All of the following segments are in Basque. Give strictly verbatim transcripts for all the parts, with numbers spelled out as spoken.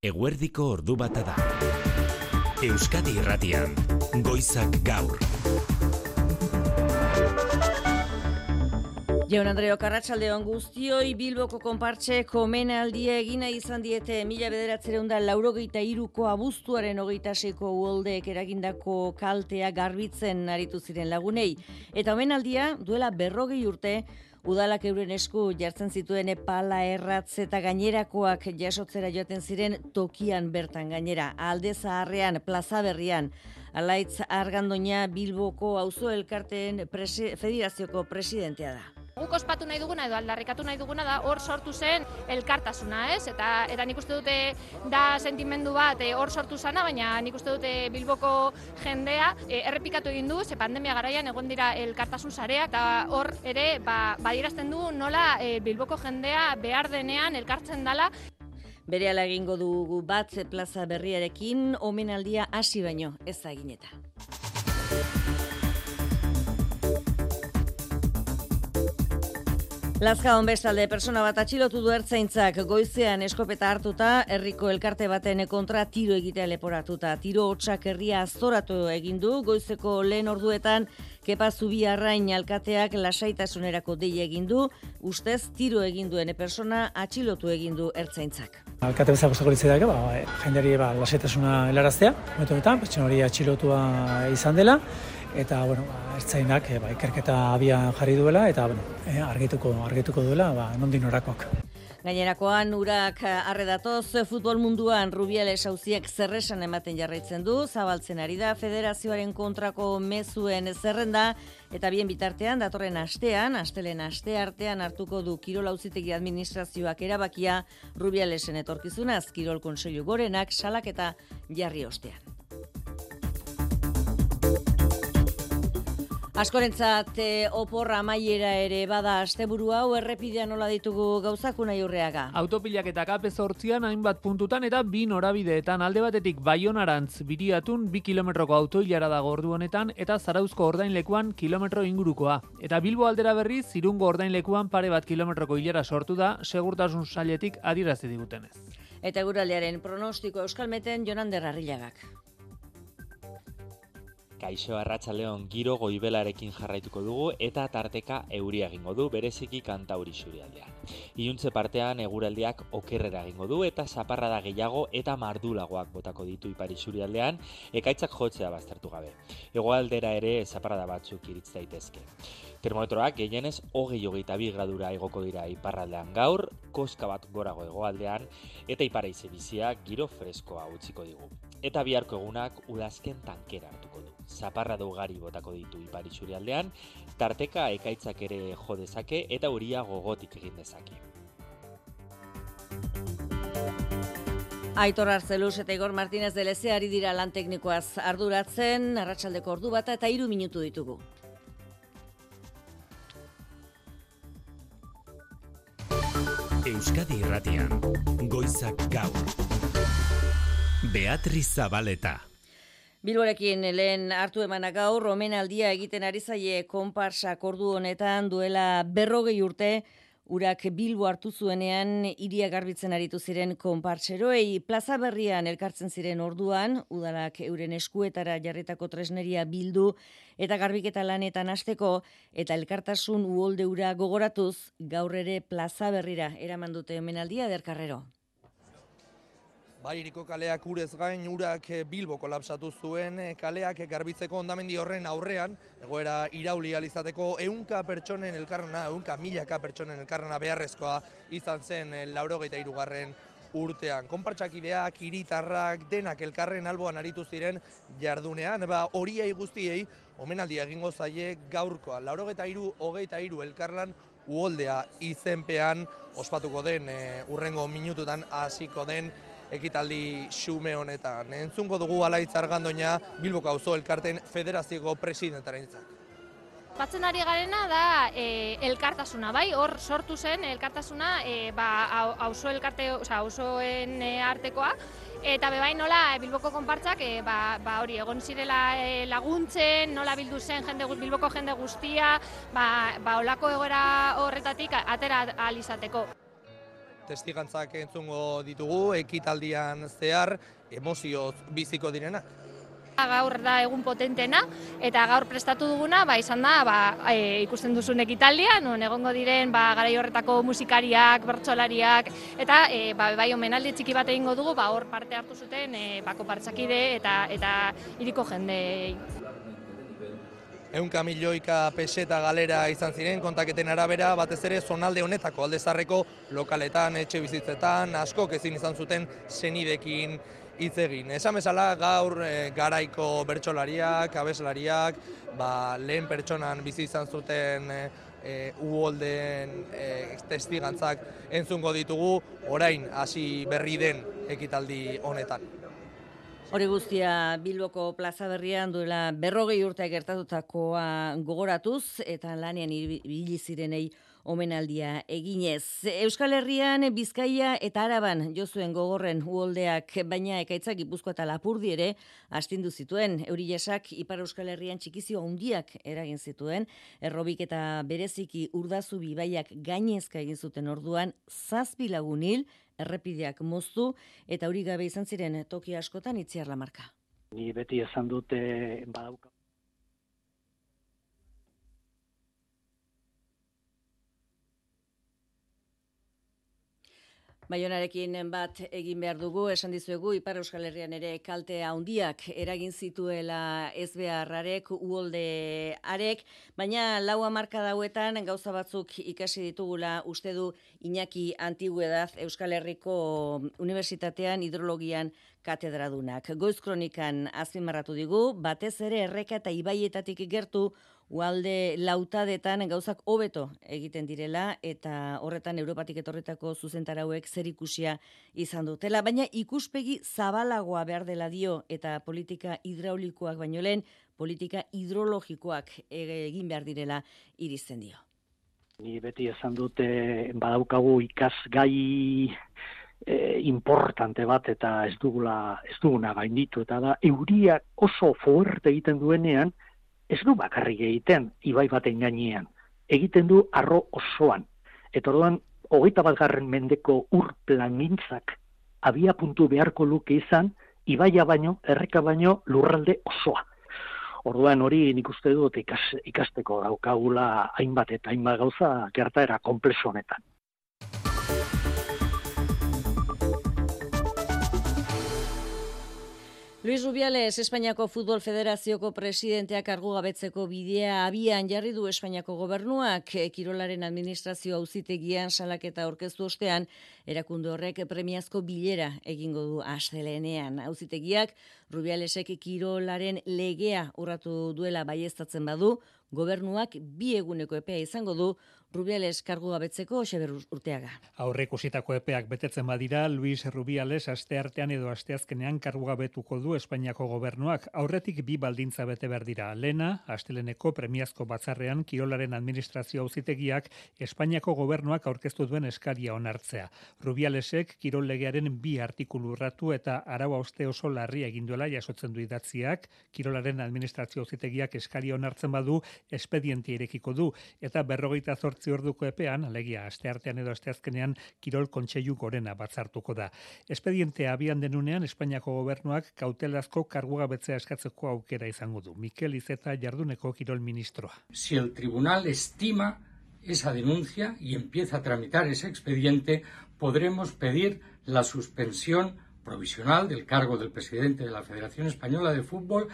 Eguerdiko ordu bata da. Euskadi Irratian, Goizak Gaur. Jaun Andreok, arratsaldeon guztioi. Bilboko konpartsek omenaldia egina izan diete mila bederatziehun eta laurogeita hiruko abuztuaren hogeita seiko uholdeek eragindako kaltea garbitzen aritu ziren lagunei. Eta omenaldia duela berrogei urte udalak euren esku jartzen zituen pala, erratz eta gainerakoak jasotzera joaten ziren tokian bertan gainera. Alde Zaharrean, Plaza Berrian, Alaitz Argandoña Bilboko auzo elkarteen presi, federazioko presidentea da. Guk ospatu nahi duguna edo aldarrikatu nahi duguna da hor sortu zen elkartasuna, ez? Eta eta nik uste dute da sentimendu bat hor sortu zana, baina nik uste dute Bilboko jendea e, errepikatu egin du, ze pandemia garaian egon dira elkartasun sareak, eta hor ere ba, badierazten du nola e, Bilboko jendea behar denean elkartzen dala. Berehala egingo dugu bat Plaza Berriarekin, omenaldia hasi baino ez da egin eta. Lazkaon bestalde persona bat atxilotu du ertzaintzak goizean eskopeta hartuta, herriko elkarte baten kontra tiro egitea leporatuta. Tiro hotsak herria aztoratu egin du, goizeko lehen orduetan Kepa Zubiarrain alkateak lasaitasunerako deia egin du, ustez tiro egin duen persona atxilotu egin du ertzaintzak. Alkate bezala gustatuko litzaidake, ba, jendeari ba, lasaitasuna helaraztea, momentu honetan, pertsona hori atxilotua izan dela, eta bueno, ba, ertzainak ba, ikerketa abian jarri duela eta bueno, eh, argituko argituko duela, ba, nondik norakoak. Gainerakoan urak arredatoz futbol munduan Rubiales auziak zerresan ematen jarraitzen du, zabaltzen ari da federazioaren kontrako mezuen zerrenda eta bien bitartean datorren astean, astelen aste artean hartuko du Kirol Auzitegi administrazioak erabakia Rubialesen etorkizunaz, Kirol Kontseilu Gorenak salaketa jarri ostean. Askorentzat e, oporra amaiera ere bada asteburu hau, errepidean nola ditugu gauzak Unai Urreaga. Autopilak eta kape zortzian hainbat puntutan eta bi norabideetan, alde batetik Baionarantz Biriatun bi kilometroko autoilara dago ordu honetan eta Zarauzko ordainlekuan kilometro ingurukoa. Eta Bilbo aldera berriz Irungo ordainlekuan pare bat kilometroko ilara sortu da, segurtasun sailetik adierazi digutenez. Eta eguraldiaren pronostiko Euskalmeten Jonander Arrilagak. Kaixo, arratsaldeon, giro goibelarekin jarraituko dugu eta tarteka euria egingo du, bereziki Kantauri isurialdean. Iluntze partean eguraldiak okerrera egingo du eta zaparrada gehiago eta mardulagoak botako ditu ipar isurialdean, ekaitzak jotzea baztertu gabe. Hegoaldera ere zaparrada batzuk iritz daitezke. Termometroak gehienez hogei hogeita bi gradura igoko dira iparraldean gaur, koska bat gorago hegoaldean eta ipar haize biziak giro freskoa utziko digu. Eta biharko egunak udazken tankera hartuko du. Zaparrada ugari botako ditu ipar isurialdean, tarteka ekaitzak ere jo dezake eta euria gogotik egin dezake. Aitor Arzeluz eta Igor Martínez de Leze ari dira lan teknikoaz arduratzen, arratsaldeko ordu bata eta hiru minutu ditugu. Euskadi Irratian, Goizak Gaur. Beatriz Zabaleta. Bilborekin lehen hartu emana gaur, omenaldia egiten ari zaie konparsak ordu honetan duela berrogei urte, urak Bilbo hartu zuenean hiria garbitzen aritu ziren konpartseroei. Plaza Berrian elkartzen ziren orduan, udalak euren eskuetara jarritako tresneria bildu eta garbiketa lanetan hasteko eta elkartasun uholde hura gogoratuz, gaur ere Plaza Berrira eraman dute omenaldia Derkarrero. Baririko kaleak urez gain urak Bilbo kolapsatu zuen, kaleak garbitzeko hondamendi horren aurrean, egoera irauli alizateko ehunka pertsonen elkarrana, ehunka milaka pertsonen elkarrana beharrezkoa izan zen laurogeita hirugarren urtean. Konpartsakideak, hiritarrak, denak elkarren alboan aritu ziren jardunean, ba horiei guztiei omenaldia egingo zaie gaurkoa. laurogeita hiru hogeita hiru elkarlan uholdea izenpean ospatuko den, e, urrengo minututan hasiko den ekitaldi xume honetan. Entzungo dugu Alaitz Argandoña Bilboko auzo elkarteen federazioko presidentearentzat. Batzen ari garena da e, elkartasuna, bai, hor sortu zen elkartasuna e, ba, auzo elkarte, osea, auzoen e, artekoa, eta bebai nola Bilboko konpartzak e, ba, ba hori egon zirela e, laguntzen, nola bildu zen jende, Bilboko jende guztia, ba, ba olako egoera horretatik atera ahal izateko. testigantzak entzungo ditugu, ekitaldian zehar, emozioz biziko direnak. Gaur da egun potentena eta gaur prestatu duguna ba, izan da ba, e, ikusten duzun ekitaldia, non egongo diren ba, garai horretako musikariak, bertsolariak eta e, ba, bai omenaldi txiki bat egingo dugu ba, hor parte hartu zuten e, ba, konpartsakide eta, eta hiriko jendei. Ehunka milioika peseta galera izan ziren kontaketen arabera, batez ere zonalde honetako alde zaharreko lokaletan, etxe bizitzetan, askok ezin izan zuten senidekin hitz egin. Esan bezala gaur e, garaiko bertsolariak, abeslariak, ba, lehen pertsonan bizi izan zuten e, e, uholdeen e, testigantzak entzungo ditugu, orain hasi berri den ekitaldi honetan. Hori guztia Bilboko plaza berrian duela berrogei urte gertatutakoa gogoratuz eta lanean ibili zirenei omenaldia eginez. Euskal Herrian, Bizkaia eta Araban jo zuen gogorren uholdeak, baina ekaitzak Gipuzkoa eta Lapurdi ere astindu zituen. Eurilesak Ipar Euskal Herrian txikizio handiak eragin zituen, errobik eta bereziki Urdazubi ibaiak gainezka egin zuten orduan zazpi lagun hil, errepideak moztu eta hori gabe izan ziren toki askotan Itziar Lamarka. Ni beti esan dute badauka. Baionarekin bat egin behar dugu, esan dizuegu Ipar Euskal Herrian ere kalte handiak eragin zituela ezbeharrarek, uholdearek, baina lau hamarka dauetan gauza batzuk ikasi ditugula uste du Iñaki Antiguedad Euskal Herriko Unibertsitatean hidrologian katedradunak. Goiz kronikan azpimarratu digu, batez ere erreka eta ibaietatik gertu uhalde lautadetan gauzak hobeto egiten direla eta horretan Europatik etorritako zuzentarauek zerikusia izan dutela, baina ikuspegi zabalagoa behar dela dio eta politika hidraulikoak baino lehen politika hidrologikoak egin behar direla irizten dio. Ni beti esan dute badaukagu ikasgai e, importante bat eta ez dugula ez duguna gainditu eta da euria oso fuerte egiten duenean ez du bakarrik egiten ibai baten gainean, egiten du arro osoan. Eta orduan, hogeita batgarren mendeko ur plangintzak abia puntu beharko luke izan, ibaia baino, erreka baino, lurralde osoa. Orduan hori nik uste dut ikas, ikasteko daukagula hainbat eta hainbat gauza gertaera konplexu honetan. Luis Rubiales, Espainiako Futbol Federazioko presidenteak kargugabetzeko bidea abian jarri du Espainiako gobernuak. Kirolaren administrazio auzitegian salaketa aurkeztu ostean, erakunde horrek premiazko bilera egingo du astelehenean. Auzitegiak Rubialesek kirolaren legea urratu duela baieztatzen badu, gobernuak bi eguneko epea izango du Rubiales kargugabetzeko Xeber Urteaga. Aurreikusitako epeak betetzen badira, Luis Rubiales asteartean edo asteazkenean kargugabetuko du Espainiako gobernuak. Aurretik bi baldintza bete behar dira. Lena, asteleneko premiazko batzarrean kirolaren administrazio auzitegiak Espainiako gobernuak aurkeztu duen eskaria onartzea. Rubialesek kirol legearen bi artikulu urratu eta arau hauste oso larria egin duela jasotzen du idatziak, kirolaren administrazio auzitegiak eskaria onartzen badu, espedientea irekiko du eta berrogeita zortzi orduko epean, alegia asteartean edo asteazkenean kirol kontseilu gorena batzartuko da. Espedientea abian denunean Espainiako gobernuak kautelazko kargugabetzea eskatzeko aukera izango du. Mikel Iceta jarduneko kirol ministroa. Si el tribunal estima esa denuncia y empieza a tramitar ese expediente, podremos pedir la suspensión provisional del cargo del presidente de la Federación Española de Fútbol.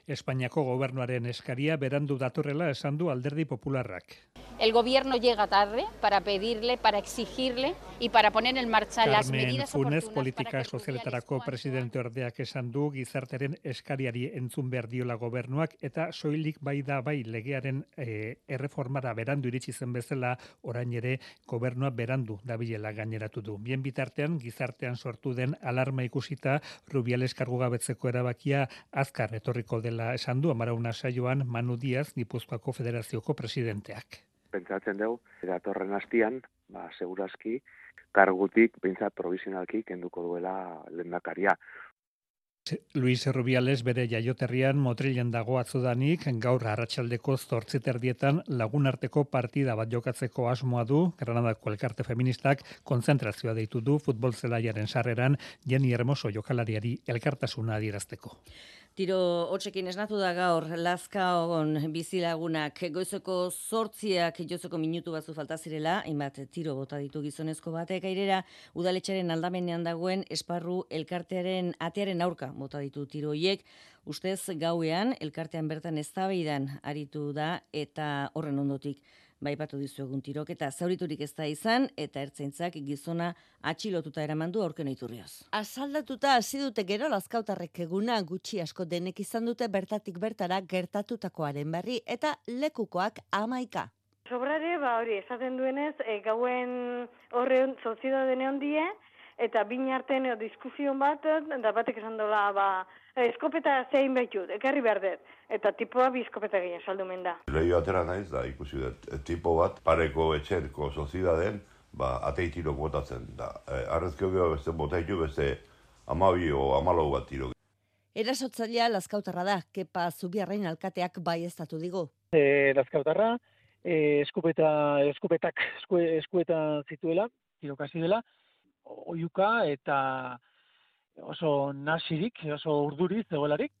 Espainiako gobernuaren eskaria berandu datorrela esan du Alderdi Popularrak. El gobierno llega tarde para pedirle, para exigirle y para poner en marcha las medidas Funes, politika sozialetarako presidente ordeak esan du gizarteren eskariari entzun behar diola gobernuak eta soilik bai da bai legearen e, erreformara berandu iritsi zen bezala orain ere gobernua berandu dabilela gaineratu du. Bien bitartean gizartean sortu den alarma ikusita Rubiales kargugabetzeko erabakia azkar etorriko dela esan du Amarauna saioan Manu Diaz Gipuzkoako Federazioko presidenteak. Pentsatzen dugu, datorren hastian, ba, segurazki, kargutik, pentsat provisionalki, kenduko duela lehendakaria. Luis Rubiales bere jaioterrian Motrilen dago atzodanik, gaur arratsaldeko zortzi terdietan lagunarteko partida bat jokatzeko asmoa du. Granadako elkarte feministak kontzentrazioa deitu du futbol zelaiaren sarreran Jenni Hermoso jokalariari elkartasuna adierazteko. Tiro hotzekin esnatu da gaur Lazkaon bizilagunak goizeko zortziak jozeko minutu batzu falta zirela, hainbat tiro bota ditu gizonezko batek airera, udaletxaren aldamenean dagoen esparru elkartearen atearen aurka bota ditu tiro hiek, ustez gauean elkartean bertan eztabaidan aritu da eta horren ondotik baipatu dizuegun tiroketa zauriturik ez da izan eta ertzaintzak gizona atxilotuta eraman du aurken iturrioz. Asaldatuta hasi dute gero Lazkautarrek eguna gutxi asko denek izan dute bertatik bertara gertatutakoaren berri eta lekukoak hamaika. Sobrare, ba hori, esaten duenez, e, gauen horren soziedadene handie, eta bin artean e, diskusion bat, da batek esan dola, ba, eskopeta zein behitut, ekarri behar dut, eta tipoa bi eskopeta gehien saldumen da. Lehio atera naiz da, ikusi dut, tipo bat, pareko etxerko sozidaden, ba, atei tirok botatzen da. E, Arrezkio geho beste botaitu beste amabi o amalau bat tirok. Erasotzailea Lazkautarra da, Kepa Zubiarrain alkateak baieztatu digu. E, Lazkautarra, e, eskupeta, eskupetak esku, eskueta zituela, tirokasi dela, oiuka eta oso nasirik, oso urduriz zegoelarik.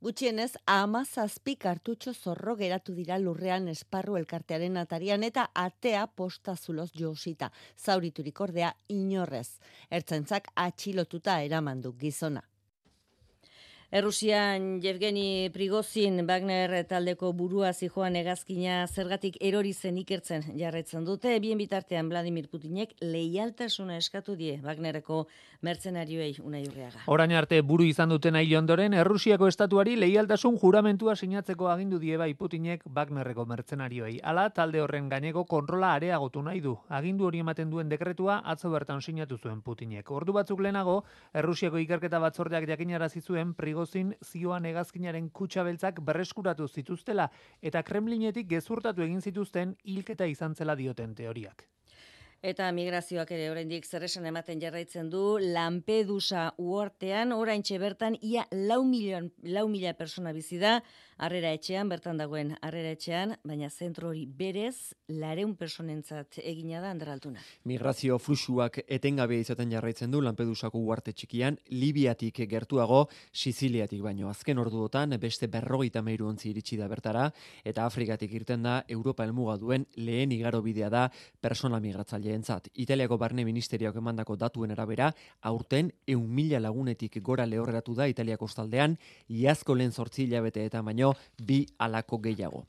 Gutxienez, hamazazpi kartutxo zorro geratu dira lurrean esparru elkartearen atarian eta atea postazuloz josita. Zauriturik ordea inorrez. Ertzaintzak atxilotuta eramandu gizona. Errusian Yevgeni Prigozhin Wagner taldeko burua zijoan hegazkina zergatik erori zen ikertzen jarraitzen dute. Bien bitartean Vladimir Putinek leialtasuna eskatu die Wagnerreko mertzenarioei Unai Urreaga. Orain arte buru izan duten hil ondoren Errusiako estatuari leialtasun juramentua sinatzeko agindu die bai Putinek Wagnerreko mertzenarioei. Hala talde horren gaineko kontrola areagotu nahi du. Agindu hori ematen duen dekretua atzo bertan sinatu zuen Putinek. Ordu batzuk lehenago Errusiako ikerketa batzordeak jakinarazi zuen Prigozhin zioan hegazkinaren kutxa beltzak berreskuratu zituztela eta Kremlinetik gezurtatu egin zituzten hilketa izan zela dioten teoriak. Eta migrazioak ere oraindik zer esan ematen jarraitzen du Lampedusa uhartean oraintxe bertan ia lau milion, lau mila persona bizi da harrera etxean, bertan dagoen harrera etxean, baina zentro hori berez lareun personentzat egina da Anderaltuna. Migrazio fluxuak etengabea izaten jarraitzen du Lampedusako uharte txikian, Libiatik gertuago, Siziliatik baino. Azken orduotan beste berrogeita hamairu ontzi iritsi da bertara eta Afrikatik irten da Europa helmuga duen lehen igarobidea da persona migratzaileen. Italiako barne ministerioak emandako datuen arabera, aurten ehun mila lagunetik gora lehorreratu da Italiako kostaldean, iazko lehen zortzi hilabeteetan baino bi halako gehiago.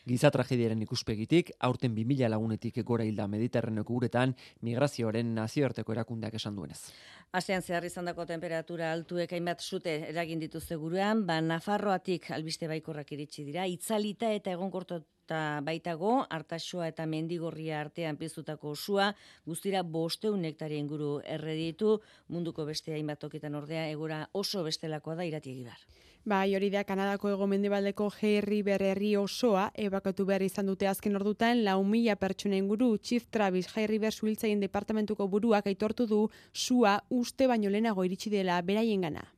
Giza tragediaren ikuspegitik, aurten bi mila lagunetik gora hilda Mediterraneoko uretan, migrazioaren nazioarteko erakundeak esan duenez. Astean zehar izandako temperatura altuek hainbat sute eragin dituzte gurean, ba Nafarroatik albiste baikorrak iritsi dira, itzalita eta egonkortu eta baitago, Artaxoa eta Mendigorria artean piztutako sua, guztira bosteun hektare inguru erreditu, munduko beste hainbat tokitan ordea, egora oso bestelakoa da Irati Egibar. Bai, hori da Kanadako hego-mendebaldeko Herri berri osoa ebakatu behar izan dute azken ordutan lau mila pertsona inguru. Chief Travis Herri ber suhiltzaien departamentuko buruak aitortu du sua uste baino lehenago iritsi dela beraiengana.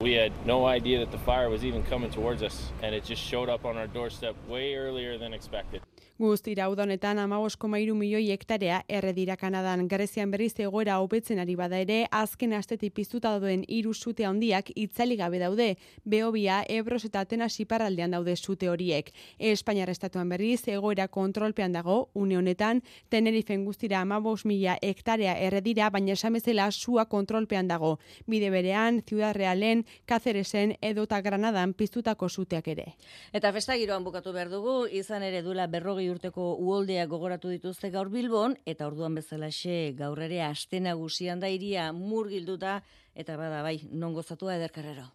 We had no idea that the fire was even coming towards us, and it just showed up on our doorstep way earlier than expected. Guztira uda honetan hamabost koma hiru milioi hektarea erre dira Kanadan. Grezian berriz egoera hobetzen ari bada ere, azken astetik piztuta dauden hiru sute handiak itzali gabe daude. Behobia, Ebros eta Atenas iparraldean daude sute horiek. Espainiar estatuan berriz egoera kontrolpean dago, une honetan, Tenerifen guztira hamabost mila hektarea erre dira, baina esan bezala sua kontrolpean dago. Bide berean, Ciudad Realen, Cáceresen edota Granadan piztutako suteak ere. Eta festa giroan bukatu behar dugu, izan ere duela berrogei urteko uholdeak gogoratu dituzte gaur Bilbon, eta orduan bezalaxe gaur ere aste nagusian da hiria murgilduta, eta bada bai, non gozatua Eder Carrero.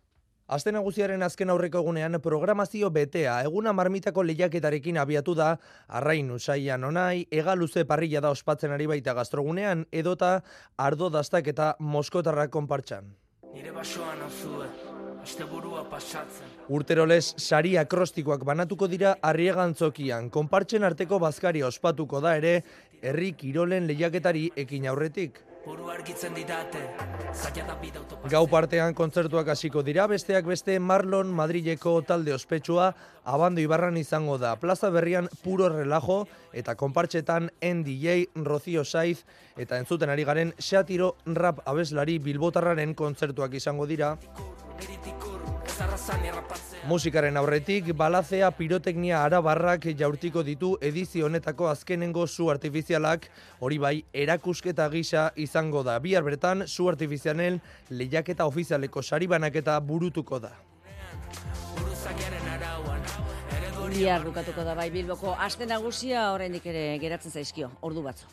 Aste nagusiaren azken aurreko egunean programazio betea, eguna marmitako lehiaketarekin abiatu da, arrain usaian onai, egaluze parrilla da ospatzen ari baita gastrogunean, edota ardo dastak eta moskotarrak konpartxan. Nire basoan auzue, asteburua pasatzen. Urterolez sari akrostikoak banatuko dira Arriagantzokian, konpartzen arteko bazkari ospatuko da ere, herri kirolen lehiaketari ekin aurretik. buru argitzen didate, zaila da bida autopazio. Gau partean kontzertuak hasiko dira, besteak beste Marlon Madrileko talde ospetsua Abando Ibarran izango da. Plaza Berrian Puro Relajo eta konpartxetan N D J, Rocío Saiz eta entzuten ari garen Xatiro rap abeslari bilbotarraren kontzertuak izango dira. Musikaren aurretik, balazea piroteknia arabarrak jaurtiko ditu edizio honetako azkenengo zu artifizialak, hori bai, erakusketa gisa izango da. Bihar bertan, zu artifizialen lehiaketa ofizialeko sari banaketa burutuko da. Bihar bukatuko da bai Bilboko aste nagusia, oraindik ere geratzen zaizkio, ordu batzu.